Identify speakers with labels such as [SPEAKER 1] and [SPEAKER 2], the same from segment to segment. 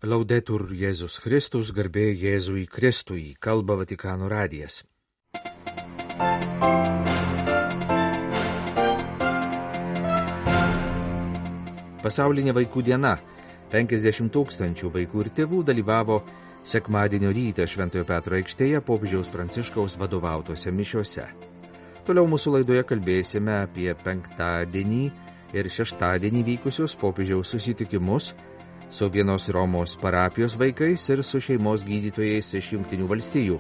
[SPEAKER 1] Laudetur Jėzus Kristus, garbė Jėzui Kristui, kalba Vatikano radijas. Pasaulinė vaikų diena. 50 000 vaikų ir tėvų dalyvavo sekmadienio rytą Šventojo Petro aikštėje popiežiaus Pranciškaus vadovautose mišiose. Toliau mūsų laidoje kalbėsime apie penktadienį ir šeštadienį vykusius popiežiaus susitikimus su vienos Romos parapijos vaikais ir su šeimos gydytojais iš Jungtinių valstijų.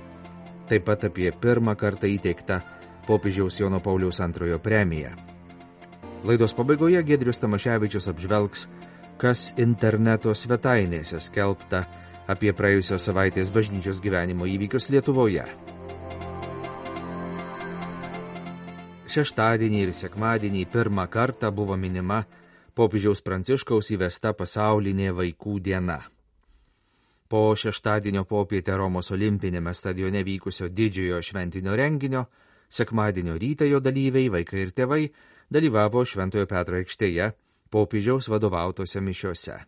[SPEAKER 1] Taip pat apie pirmą kartą įteiktą popiežiaus Jono Pauliaus II premiją. Laidos pabaigoje Giedrius Tamaševičius apžvelgs, kas interneto svetainėse skelbta apie praėjusios savaitės bažnyčios gyvenimo įvykius Lietuvoje. Šeštadienį ir sekmadienį pirmą kartą buvo minima popiežiaus Pranciškaus įvesta pasaulinė vaikų diena. Po šeštadienio popietę Romos olimpinėme stadione vykusio didžiojo šventinio renginio, sekmadienio rytą jo dalyviai, vaikai ir tėvai, dalyvavo Šventojo Petro aikštėje popiežiaus vadovautose mišiose.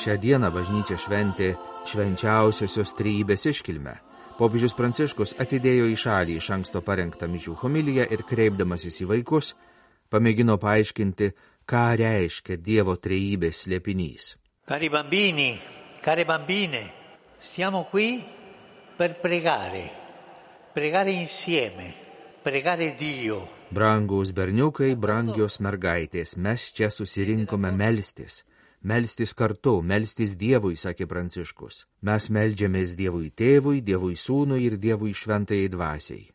[SPEAKER 1] Šią dieną bažnyčia šventė švenčiausiosios trejybės iškilmę. Popiežius Pranciškus atidėjo į šalį iš anksto parengtą mišių homiliją ir kreipdamasis į vaikus, pamėgino paaiškinti, ką reiškia Dievo trejybės slėpinys.
[SPEAKER 2] Cari bambini, care bambine, siamo qui per pregare insieme, pregare Dio.
[SPEAKER 1] Brangūs berniukai, brangios mergaitės, mes čia susirinkome melstis kartu, melstis Dievui, sakė Pranciškus. Mes meldžiamės Dievui Tėvui, Dievui Sūnui ir Dievui Šventajai Dvasiai.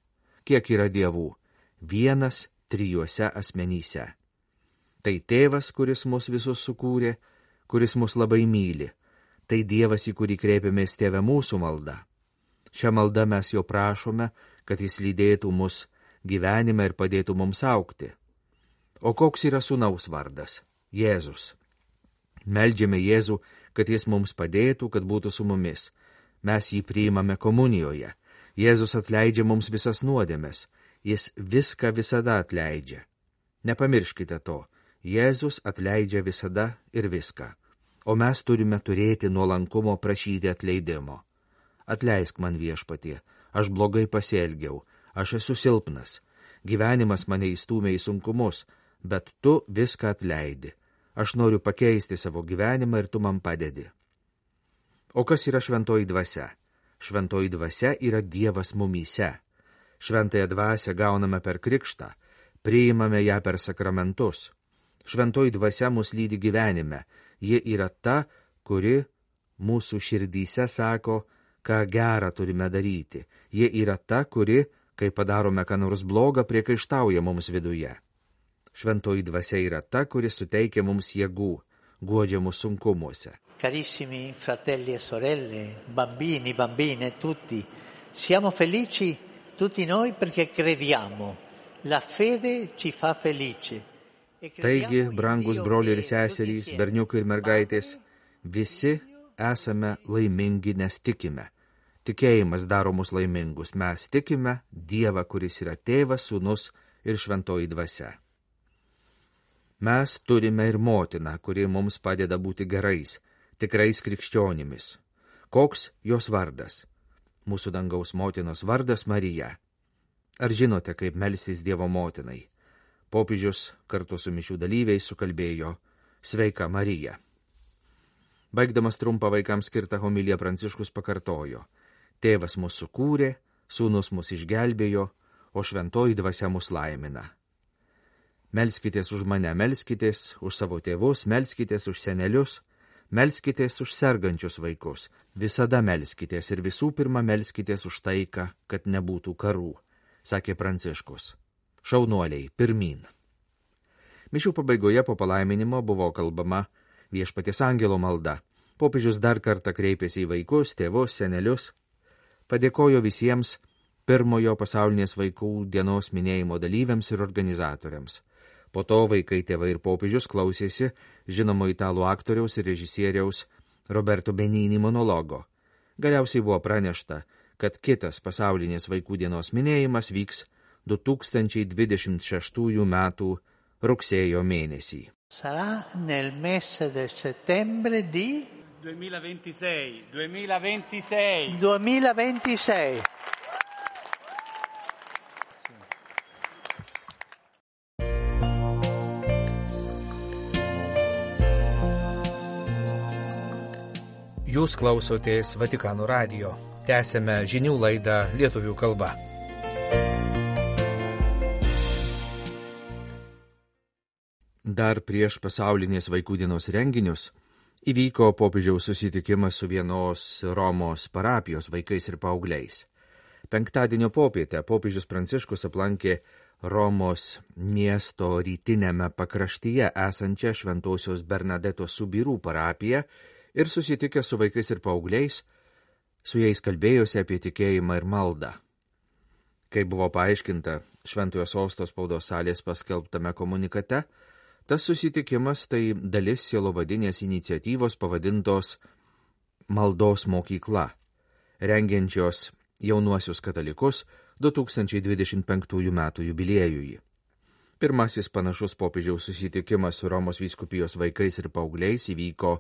[SPEAKER 1] Kiek yra Dievų? Vienas trijuose asmenyse. Tai Tėvas, kuris mus visus sukūrė, kuris mus labai myli. Tai Dievas, į kurį kreipiamės Tėve mūsų malda. Šią maldą mes jo prašome, kad jis lydėtų mus gyvenime ir padėtų mums augti. O koks yra Sūnaus vardas? Jėzus. Meldžiame Jėzų, kad jis mums padėtų, kad būtų su mumis. Mes jį priimame komunijoje. Jėzus atleidžia mums visas nuodėmes. Jis viską visada atleidžia. Nepamirškite to. Jėzus atleidžia visada ir viską. O mes turime turėti nuolankumo prašyti atleidimo. Atleisk man, Viešpatie, aš blogai pasielgiau, aš esu silpnas. Gyvenimas mane įstūmė į sunkumus, bet tu viską atleidi. Aš noriu pakeisti savo gyvenimą ir tu man padedi. O kas yra šventoji dvasia? Šventoji dvasia yra Dievas mumyse. Šventąją dvasią gauname per krikštą, priimame ją per sakramentus. Šventoji dvasia mus lydi gyvenime. Ji yra ta, kuri mūsų širdyse sako, ką gerą turime daryti. Ji yra ta, kuri, kai padarome ką nors blogą, priekaištauja mums viduje. Šventoji dvasia yra ta, kuri suteikia mums jėgų, guodžia mus sunkumuose.
[SPEAKER 2] Carissimi fratelli e sorelle, bambini, bambine, tutti, siamo felici tutti noi perché crediamo. La fede ci fa felice.
[SPEAKER 1] Taigi, brangus broliai ir seserys, berniukai ir mergaitės, visi esame laimingi, nes tikime. Tikėjimas daro mus laimingus. Mes tikime Dievą, kuris yra Tėvas, Sūnus ir Šventoji dvasia. Mes turime ir motiną, kuri mums padeda būti gerais, tikrais krikščionimis. Koks jos vardas? Mūsų dangaus motinos vardas Marija. Ar žinote, kaip melstis Dievo motinai? Popiežius kartu su mišių dalyviais sukalbėjo Sveika Marija. Baigdamas trumpą vaikams skirtą homiliją Pranciškus pakartojo: Tėvas mus sukūrė, Sūnus mus išgelbėjo, o Šventoji dvasia mus laimina. Melskitės už mane, melskitės už savo tėvus, melskitės už senelius, melskitės už sergančius vaikus. Visada melskitės ir visų pirma melskitės už taiką, kad nebūtų karų, sakė Pranciškus. Šaunuoliai, pirmyn. Mišių pabaigoje po palaiminimo buvo kalbama Viešpaties angelo malda. Popiežius dar kartą kreipėsi į vaikus, tėvus, senelius. Padėkojo visiems pirmojo pasaulinės vaikų dienos minėjimo dalyviams ir organizatoriams. Po to vaikai, tėvai ir popiežius klausėsi žinomo italų aktoriaus ir režisieriaus Roberto Benigni monologo. Galiausiai buvo pranešta, kad kitas pasaulinės vaikų dienos minėjimas vyks 2026 metų rugsėjo mėnesį.
[SPEAKER 2] Sarà nel mese del settembre di 2026.
[SPEAKER 1] Jūs klausotės Vatikano radijo. Tęsėme žinių laidą lietuvių kalba. Dar prieš pasaulinės vaikų dienos renginius įvyko popiežiaus susitikimas su vienos Romos parapijos vaikais ir paaugliais. Penktadienio popietę popiežius Pranciškus aplankė Romos miesto rytinėme pakraštyje esančią Šventosios Bernadetos Subirų parapiją ir susitikęs su vaikais ir paaugliais, su jais kalbėjosi apie tikėjimą ir maldą. Kai buvo paaiškinta Šventojo Sosto spaudos salės paskelbtame komunikate, tas susitikimas tai dalis sielovadinės iniciatyvos pavadintos Maldos mokykla, rengiančios jaunuosius katalikus 2025 metų jubiliejui. Pirmasis panašus popiežiaus susitikimas su Romos vyskupijos vaikais ir paaugliais įvyko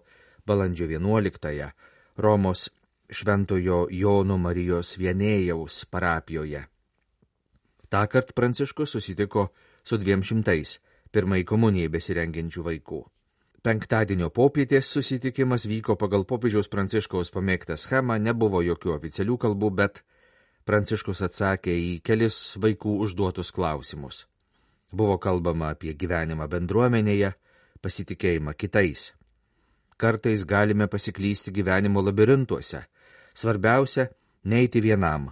[SPEAKER 1] balandžio 11-ąją Romos Šventojo Jono Marijos Vienėjaus parapijoje. Tąkart Pranciškus susitiko su 200 pirmai komunijai besirengiančių vaikų. Penktadienio popietės susitikimas vyko pagal popiežiaus Pranciškaus pamėgtą schemą, nebuvo jokių oficialių kalbų, bet Pranciškus atsakė į kelis vaikų užduotus klausimus. Buvo kalbama apie gyvenimą bendruomenėje, pasitikėjimą kitais. Kartais galime pasiklysti gyvenimo labirintuose. Svarbiausia – neiti vienam,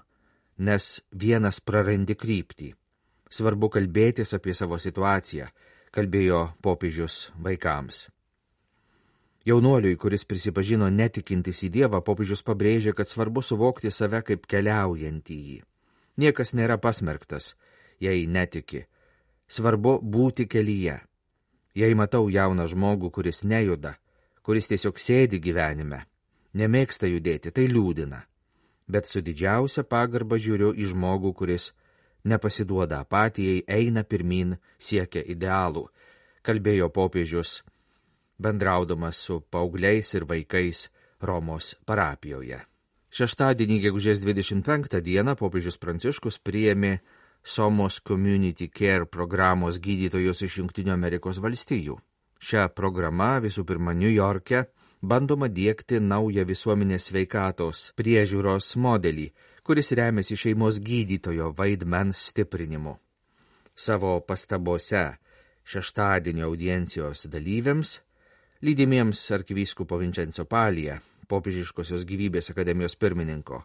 [SPEAKER 1] nes vienas prarandi kryptį. Svarbu kalbėtis apie savo situaciją, kalbėjo popiežius vaikams. Jaunuoliui, kuris prisipažino netikintis į Dievą, popiežius pabrėžė, kad svarbu suvokti save kaip keliaujantįjį. Niekas nėra pasmerktas, jei netiki. Svarbu būti kelyje. Jei matau jauną žmogų, kuris nejuda, kuris tiesiog sėdi gyvenime, nemėgsta judėti, tai liūdina. Bet su didžiausia pagarba žiūriu į žmogų, kuris nepasiduoda apatijai, eina pirmin, siekia idealų, kalbėjo popiežius, bendraudamas su paaugliais ir vaikais Romos parapijoje. Šeštadienį, gegužės 25 dieną, popiežius Pranciškus priėmė Somos Community Care programos gydytojus iš Jungtinių Amerikos valstijų. Šią programą visų pirma New Yorke bandoma diegti naują visuomenės sveikatos priežiūros modelį, kuris remiasi šeimos gydytojo vaidmens stiprinimu. Savo pastabose šeštadienio audiencijos dalyviams, lydimiems arkivyskupo Vincenzo Palija, popiežiškosios gyvybės akademijos pirmininko,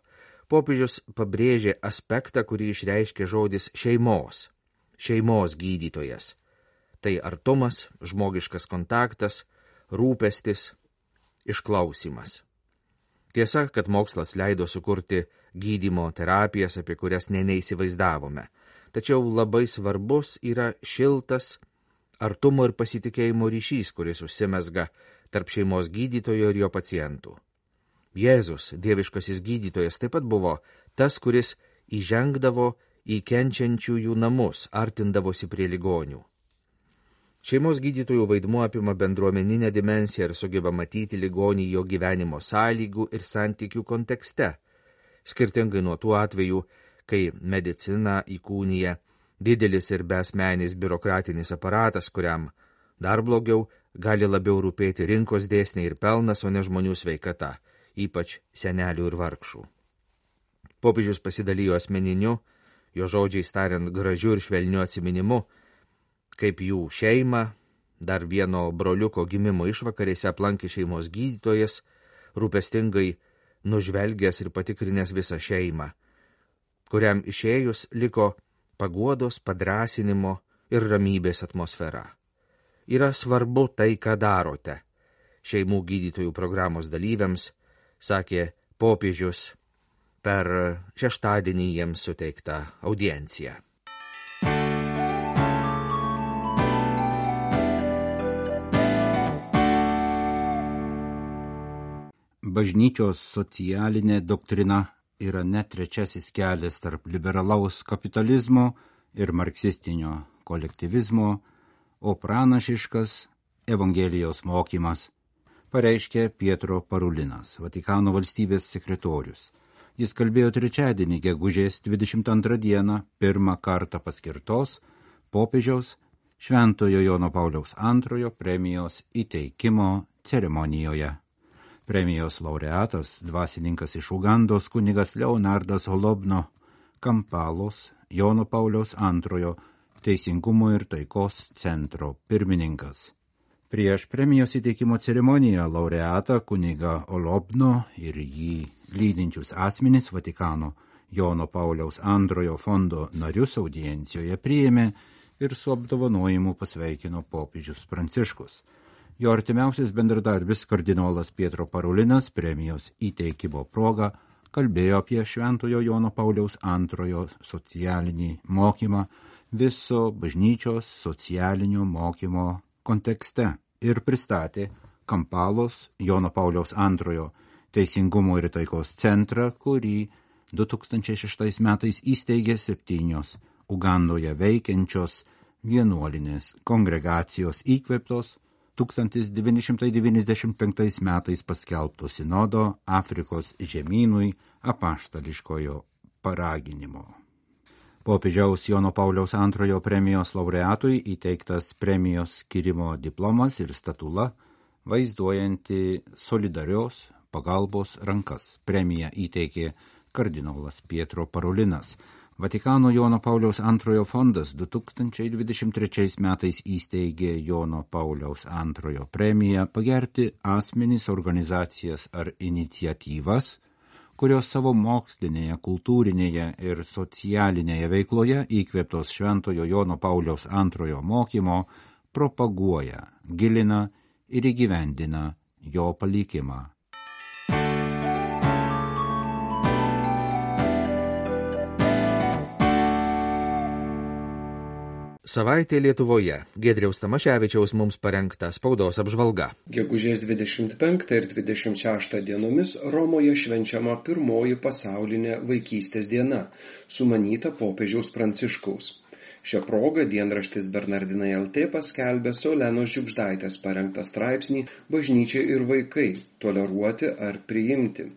[SPEAKER 1] popiežius pabrėžė aspektą, kurį išreiškė žodis šeimos gydytojas. Tai artumas, žmogiškas kontaktas, rūpestis, išklausimas. Tiesa, kad mokslas leido sukurti gydymo terapijas, apie kurias neįsivaizdavome. Tačiau labai svarbus yra šiltas artumo ir pasitikėjimo ryšys, kuris užsimezga tarp šeimos gydytojo ir jo pacientų. Jėzus, dieviškasis gydytojas, taip pat buvo tas, kuris įžengdavo į kenčiančiųjų namus, artindavosi prie ligonių. Šeimos gydytojų vaidmuo apima bendruomeninę dimensiją ir sugeba matyti ligonį jo gyvenimo sąlygų ir santykių kontekste, skirtingai nuo tų atvejų, kai medicina įkūnija didelis ir besmenis biurokratinis aparatas, kuriam dar blogiau gali labiau rūpėti rinkos dėsniai ir pelnas, o ne žmonių sveikata, ypač senelių ir vargšų. Popiežius pasidalijo asmeniniu, jo žodžiais tariant gražiu ir švelniu atsiminimu, kaip jų šeimą, dar vieno broliuko gimimo išvakarėse aplankė šeimos gydytojas, rūpestingai nužvelgęs ir patikrinęs visą šeimą, kuriam išėjus liko paguodos, padrąsinimo ir ramybės atmosfera. Yra svarbu tai, ką darote, šeimų gydytojų programos dalyviams, sakė popiežius per šeštadienį jiems suteiktą audienciją.
[SPEAKER 3] Bažnyčios socialinė doktrina yra net trečiasis kelias tarp liberalaus kapitalizmo ir marksistinio kolektyvizmo, o pranašiškas Evangelijos mokymas, pareiškė Pietro Parulinas, Vatikano valstybės sekretorius. Jis kalbėjo trečiadienį, gegužės 22 dieną, pirmą kartą paskirtos popiežiaus Šventojo Jono Pauliaus II premijos įteikimo ceremonijoje. Premijos laureatas, dvasininkas iš Ugandos kunigas Leonardas Holobno Kampalos, Jono Pauliaus II Teisingumo ir taikos centro pirmininkas. Prieš premijos įteikimo ceremoniją laureatą kunigą Holobno ir jį lydinčius asmenys Vatikano Jono Pauliaus II fondo narius audiencijoje priėmė ir su apdovanojimu pasveikino popiežius Pranciškus. Jo artimiausias bendradarbis kardinolas Pietro Parulinas premijos įteikimo proga kalbėjo apie Šventojo Jono Pauliaus II socialinį mokymą viso bažnyčios socialinio mokymo kontekste ir pristatė Kampalos Jono Pauliaus II Teisingumo ir taikos centrą, kurį 2006 metais įsteigė 7 Ugandoje veikiančios vienuolinės kongregacijos įkvėptos 1995 metais paskelbto sinodo Afrikos žemynui apaštališkojo paraginimo. Popiežiaus Jono Pauliaus II premijos laureatui įteiktas premijos skyrimo diplomas ir statula, vaizduojanti solidarios pagalbos rankas. Premiją įteikė kardinolas Pietro Parulinas. Vatikano Jono Pauliaus II fondas 2023 metais įsteigė Jono Pauliaus II premiją pagerbti asmenys, organizacijas ar iniciatyvas, kurios savo mokslinėje, kultūrinėje ir socialinėje veikloje įkvėptos Šventojo Jono Pauliaus II mokymo propaguoja, gilina ir įgyvendina jo palikimą.
[SPEAKER 1] Savaitė Lietuvoje. Giedriaus Tamaševičiaus mums parengta spaudos apžvalga.
[SPEAKER 4] Gegužės 25 ir 26 dienomis Romoje švenčiama pirmoji pasaulinė vaikystės diena, sumanyta popiežiaus Pranciškaus. Šią progą dienraštis Bernardinai LT paskelbė Saulenos Žiugždaitės parengtą straipsnį Bažnyčia ir vaikai – toleruoti ar priimti,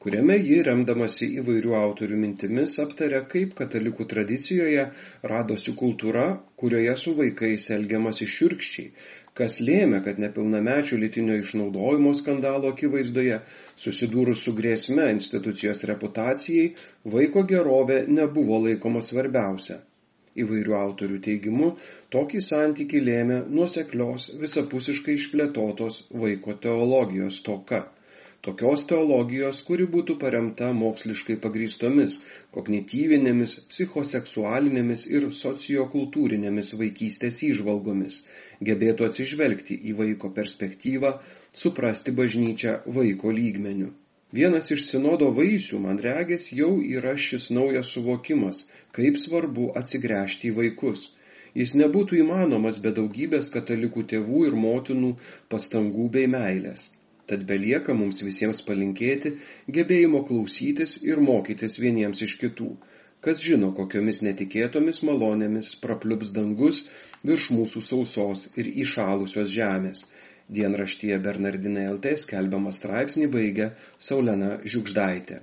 [SPEAKER 4] kuriame ji, remdamasi įvairių autorių mintimis, aptarė, kaip katalikų tradicijoje radosi kultūra, kurioje su vaikais elgiamasi šiurkščiai, kas lėmė, kad nepilnamečių lytinio išnaudojimo skandalo akivaizdoje, susidūrus su grėsme institucijos reputacijai, vaiko gerovė nebuvo laikoma svarbiausia. Įvairių autorių teigimu, tokį santykį lėmė nuoseklios, visapusiškai išplėtotos vaiko teologijos stoka. Tokios teologijos, kuri būtų paremta moksliškai pagrįstomis, kognityvinėmis, psichoseksualinėmis ir sociokultūrinėmis vaikystės įžvalgomis, gebėtų atsižvelgti į vaiko perspektyvą, suprasti bažnyčią vaiko lygmeniu. Vienas iš sinodo vaisių, man regis, jau yra šis naujas suvokimas, kaip svarbu atsigręžti į vaikus. Jis nebūtų įmanomas be daugybės katalikų tėvų ir motinų pastangų bei meilės. Tad belieka mums visiems palinkėti gebėjimo klausytis ir mokytis vieniems iš kitų. Kas žino, kokiomis netikėtomis malonėmis prapliups dangus virš mūsų sausos ir įšalusios žemės. Dienraštyje Bernardinai LT skelbiamą straipsnį baigia Saulena Žiugždaitė.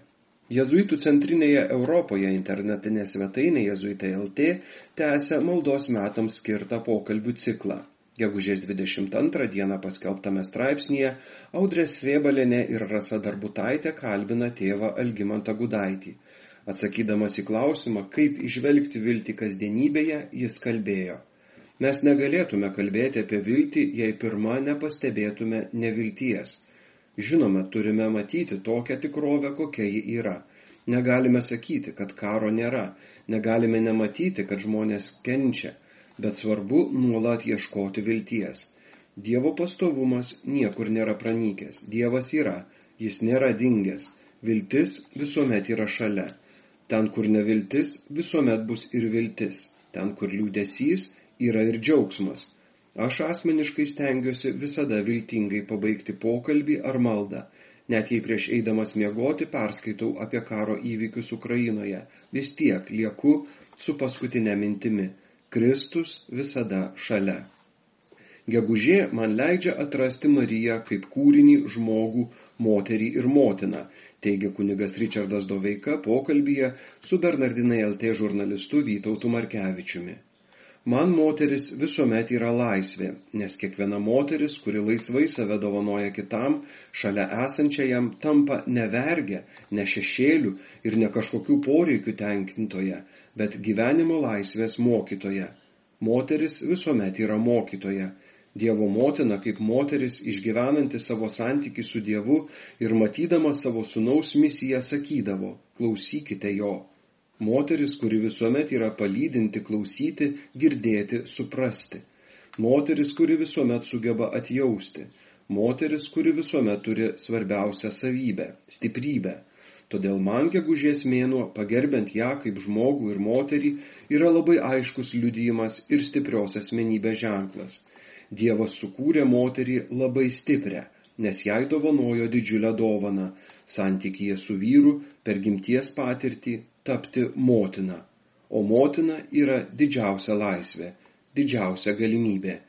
[SPEAKER 4] Jėzuitų centrinėje Europoje internetinė svetainė Jėzuitai LT tęsia maldos metams skirtą pokalbių ciklą. Gegužės 22 dieną paskelbtame straipsnyje Audrė Srėbalienė ir Rasa Darbutaitė kalbina tėvą Algimantą Gudaitį. Atsakydamas į klausimą, kaip įžvelgti viltį kasdienybėje, jis kalbėjo: Mes negalėtume kalbėti apie viltį, jei pirma nepastebėtume nevilties. Žinoma, turime matyti tokią tikrovę, kokia ji yra. Negalime sakyti, kad karo nėra, negalime nematyti, kad žmonės kenčia. Bet svarbu nuolat ieškoti vilties. Dievo pastovumas niekur nėra pranykęs. Dievas yra, jis nėra dingęs. Viltis visuomet yra šalia. Ten, kur neviltis, visuomet bus ir viltis. Ten, kur liūdesys, yra ir džiaugsmas. Aš asmeniškai stengiuosi visada viltingai pabaigti pokalbį ar maldą. Net jei prieš eidamas miegoti perskaitau apie karo įvykius Ukrainoje, vis tiek lieku su paskutinė mintimi – Kristus visada šalia. Gegužė man leidžia atrasti Mariją kaip kūrinį, žmogų, moterį ir motiną, teigia kunigas Ričardas Doveika pokalbyje su Bernardinai LT žurnalistu Vytautu Markevičiumi. Man moteris visuomet yra laisvė, nes kiekviena moteris, kuri laisvai save dovanoja kitam, šalia esančiajam tampa ne vergė, ne šešėlių ir ne kažkokių poreikių tenkintoje, bet gyvenimo laisvės mokytoja. Moteris visuomet yra mokytoja. Dievo motina kaip moteris išgyvenanti savo santykį su Dievu ir matydama savo sūnaus misiją sakydavo, klausykite jo. Moteris, kuri visuomet yra palydinti, klausyti, girdėti, suprasti. Moteris, kuri visuomet sugeba atjausti. Moteris, kuri visuomet turi svarbiausią savybę – stiprybę. Todėl man gegužės mėnuo, pagerbiant ją kaip žmogų ir moterį, yra labai aiškus liudijimas ir stiprios asmenybės ženklas. Dievas sukūrė moterį labai stiprią, nes jai dovanojo didžiulę dovaną – santykyje su vyru per gimties patirtį tapti motina. O motina yra didžiausia laisvė, didžiausia galimybė.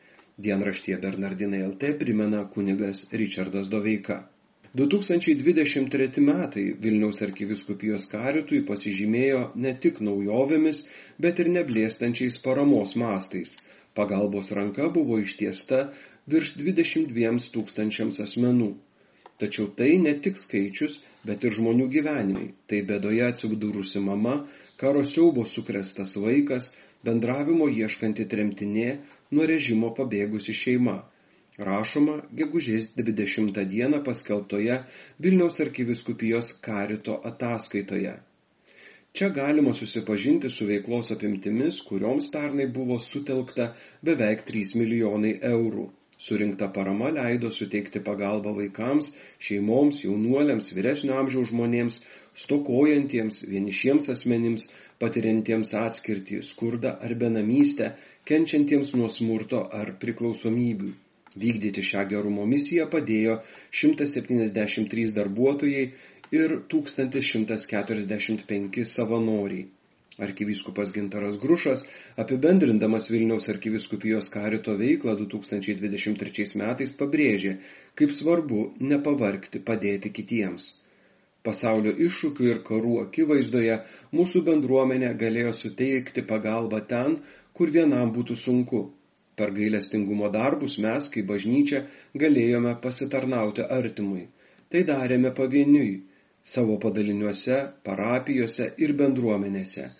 [SPEAKER 4] Dienraštyje Bernardinai LT primena kunigas Ričardas Doveika. 2023 metai Vilniaus arkivyskupijos karitui pasižymėjo ne tik naujovėmis, bet ir neblėstančiais paramos mastais. Pagalbos ranka buvo ištiesta virš 22 000 asmenų. Tačiau tai ne tik skaičius, bet ir žmonių gyvenimai. Tai bėdoje atsidūrusi mama, karo siaubo sukrėstas vaikas, bendravimo ieškanti tremtinė, nuo režimo pabėgusi šeima. Rašoma gegužės 20 dieną paskelbtoje Vilniaus arkivyskupijos karito ataskaitoje. Čia galima susipažinti su veiklos apimtimis, kurioms pernai buvo sutelkta beveik 3 milijonai eurų. Surinkta parama leido suteikti pagalbą vaikams, šeimoms, jaunuoliams, vyresnio amžiaus žmonėms, stokojantiems, vienišiems asmenims, patiriantiems atskirtį, skurdą ar benamystę, kenčiantiems nuo smurto ar priklausomybių. Vykdyti šią gerumo misiją padėjo 173 darbuotojai ir 1145 savanoriai. Arkivyskupas Gintaras Grušas, apibendrindamas Vilniaus arkivyskupijos karito veiklą 2023 metais, pabrėžė, kaip svarbu nepavargti padėti kitiems. Pasaulio iššūkių ir karų akivaizdoje mūsų bendruomenė galėjo suteikti pagalbą ten, kur vienam būtų sunku. Per gailestingumo darbus mes, kaip bažnyčia, galėjome pasitarnauti artimui. Tai darėme pavieniui, savo padaliniuose, parapijose ir bendruomenėse.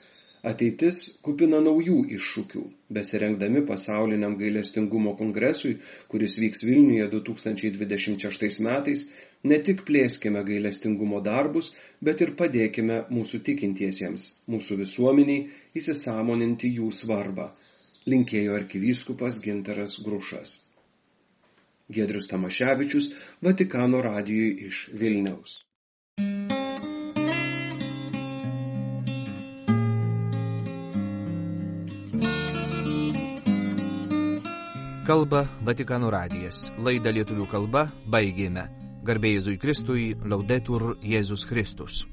[SPEAKER 4] Ateitis kupina naujų iššūkių. Besirengdami pasauliniam gailestingumo kongresui, kuris vyks Vilniuje 2026 metais, ne tik plėskime gailestingumo darbus, bet ir padėkime mūsų tikintiesiems, mūsų visuomeniai įsisąmoninti jų svarbą. Linkėjo arkivyskupas Gintaras Grušas. Giedrius Tamaševičius, Vatikano radijui iš Vilniaus.
[SPEAKER 1] Kalba Vatikano radijas. Laidą lietuvių kalba baigėme. Garbė Jėzui Kristui, Laudetur Jėzus Kristus.